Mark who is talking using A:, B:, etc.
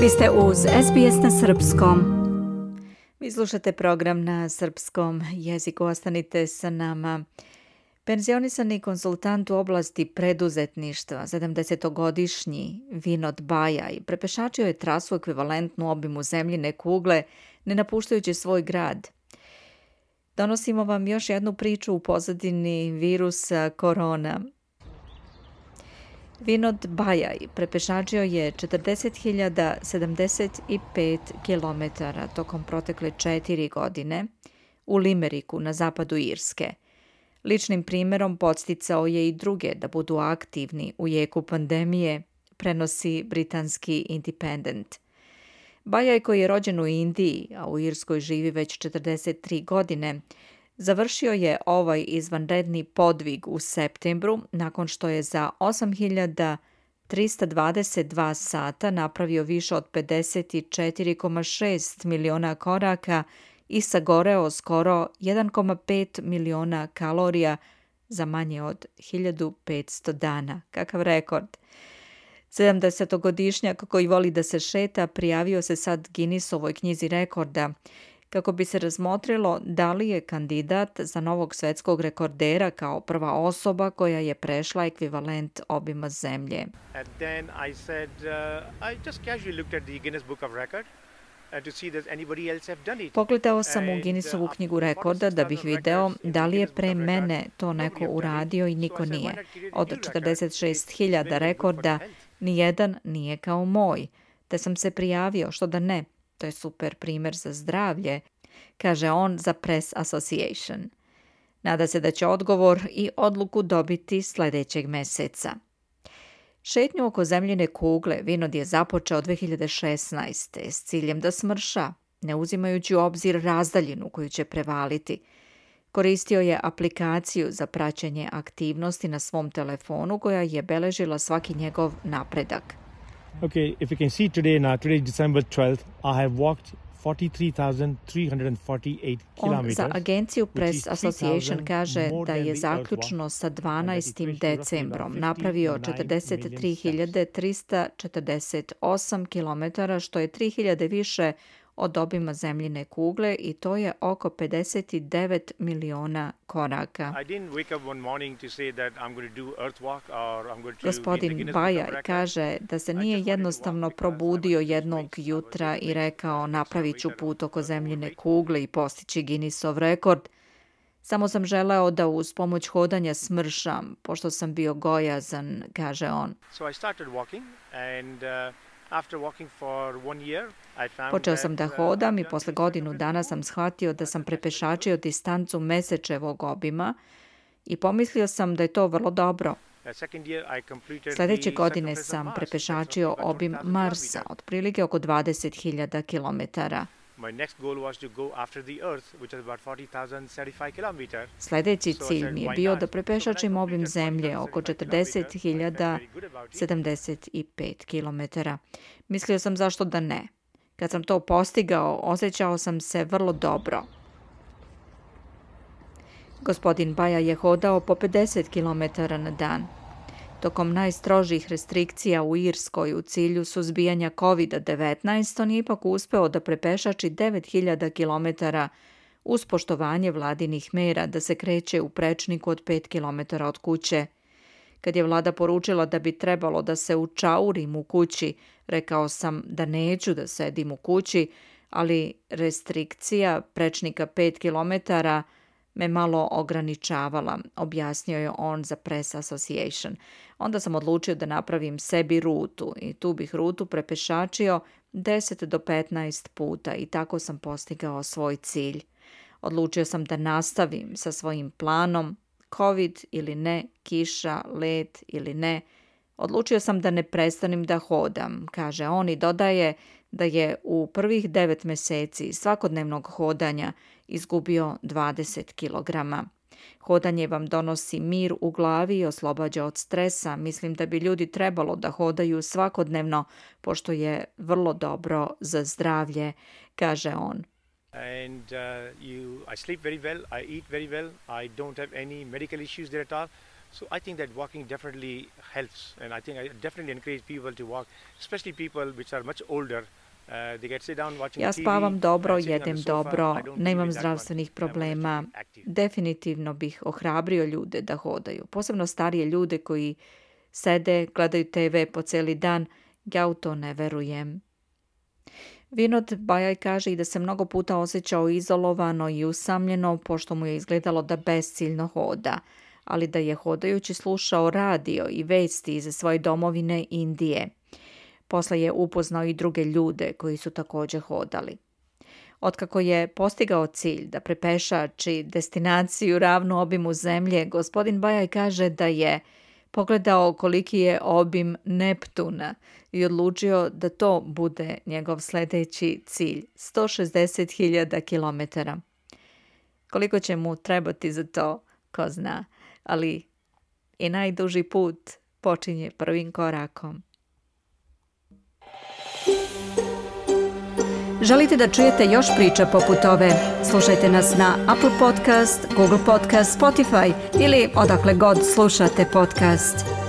A: Vi ste uz SBS na srpskom. Vi slušate program na srpskom jeziku, ostanite sa nama. Penzionisani konsultant u oblasti preduzetništva, 70-godišnji Vinod Bajaj, prepešačio je trasu ekvivalentnu obimu zemljine kugle, ne napuštajući svoj grad. Donosimo vam još jednu priču u pozadini virusa korona. Vinod Bajaj prepešačio je 40.075 km tokom protekle 4 godine u Limeriku na zapadu Irske. Ličnim primjerom podsticao je i druge da budu aktivni u jeku pandemije, prenosi britanski Independent. Bajaj, koji je rođen u Indiji, a u Irskoj živi već 43 godine, završio je ovaj izvanredni podvig u septembru nakon što je za 8.322 sata napravio više od 54,6 miliona koraka i sagoreo skoro 1,5 miliona kalorija za manje od 1500 dana. Kakav rekord! 70-godišnjak koji voli da se šeta prijavio se sad Guinnessovoj knjizi rekorda kako bi se razmotrilo da li je kandidat za novog svetskog rekordera kao prva osoba koja je prešla ekvivalent obima zemlje.
B: And then I said, I just casually looked at the Guinness Book of Record to see does anybody else have done it.
A: Pogledao sam u Guinnessovu knjigu rekorda da bih video da li je pre mene to neko uradio i niko nije. Od 46.000 rekorda nijedan nije kao moj. Te sam se prijavio, što da ne. To je super primjer za zdravlje, kaže on za Press Association. Nada se da će odgovor i odluku dobiti sljedećeg meseca. Šetnju oko zemljine kugle Vinod je započeo 2016. s ciljem da smrša, ne uzimajući u obzir razdaljinu koju će prevaliti. Koristio je aplikaciju za praćenje aktivnosti na svom telefonu koja je beležila svaki njegov napredak.
C: Okay, if you can see today is December 12th, I have walked 43,348
A: On
C: kilometers.
A: za agenciju Press Association kaže da je zaključno sa 12. decembrom napravio 43.348 km, što je 3.000 više od obima zemljine kugle i to je oko 59 miliona koraka. Gospodin Bajaj kaže da se nije jednostavno probudio jednog jutra i rekao napravit ću put oko zemljine kugle i postići Guinnessov rekord. Samo sam želeo da uz pomoć hodanja smršam, pošto sam bio gojazan, kaže on. Počeo sam da hodam i posle godinu dana sam shvatio da sam prepešačio distancu mesečevog obima i pomislio sam da je to vrlo dobro. Sljedeće godine sam prepešačio obim Marsa, otprilike oko 20.000 kilometara. Sljedeći cilj mi je bio da prepešačim obim zemlje oko 40.075 km. Mislio sam zašto da ne. Kad sam to postigao, osjećao sam se vrlo dobro. Gospodin Baja je hodao po 50 km na dan. Tokom najstrožih restrikcija u Irskoj u cilju suzbijanja COVID-19, on je ipak uspeo da prepešači 9.000 km uz poštovanje vladinih mera da se kreće u prečniku od 5 km od kuće. Kad je vlada poručila da bi trebalo da se učaurim u kući, rekao sam da neću da sedim u kući, ali restrikcija prečnika 5 km me malo ograničavala, objasnio je on za Press Association. Onda sam odlučio da napravim sebi rutu i tu bih rutu prepešačio 10 do 15 puta i tako sam postigao svoj cilj. Odlučio sam da nastavim sa svojim planom, COVID ili ne, kiša, led ili ne. Odlučio sam da ne prestanem da hodam, kaže on i dodaje da je u prvih 9 mjeseci svakodnevnog hodanja izgubio 20 kilograma. Hodanje vam donosi mir u glavi i oslobađa od stresa. Mislim da bi ljudi trebalo da hodaju svakodnevno, pošto je vrlo dobro za zdravlje, kaže on.
B: And I sleep very well, I eat very well, I don't have any medical issues there at all. So I think that walking definitely helps, and I think I definitely encourage people to walk, especially people which are much older. They get sit down watching
A: Ja
B: TV,
A: spavam dobro,
B: sitting on the
A: jedem
B: sofa.
A: dobro,
B: I don't
A: nemam
B: believe in that
A: zdravstvenih
B: one. I'm
A: problema.
B: actually active.
A: Definitivno bih ohrabrio ljude da hodaju, posebno starije ljude koji sede, gledaju TV po cijeli dan. Ja u to ne verujem. Vinod Bajaj kaže i da se mnogo puta osjećao izolovano i usamljeno, pošto mu je izgledalo da besciljno hoda, ali da je hodajući slušao radio i vesti iz svoje domovine Indije. Posle je upoznao i druge ljude koji su također hodali. Otkako je postigao cilj da prepešači destinaciju ravnu obimu zemlje, gospodin Bajaj kaže da je pogledao koliki je obim Neptuna i odlučio da to bude njegov sljedeći cilj, 160.000 kilometara. Koliko će mu trebati za to, ko zna, ali i najduži put počinje prvim korakom. Želite da čujete još priča poput ove? Slušajte nas na Apple Podcast, Google Podcast, Spotify ili odakle god slušate podcast.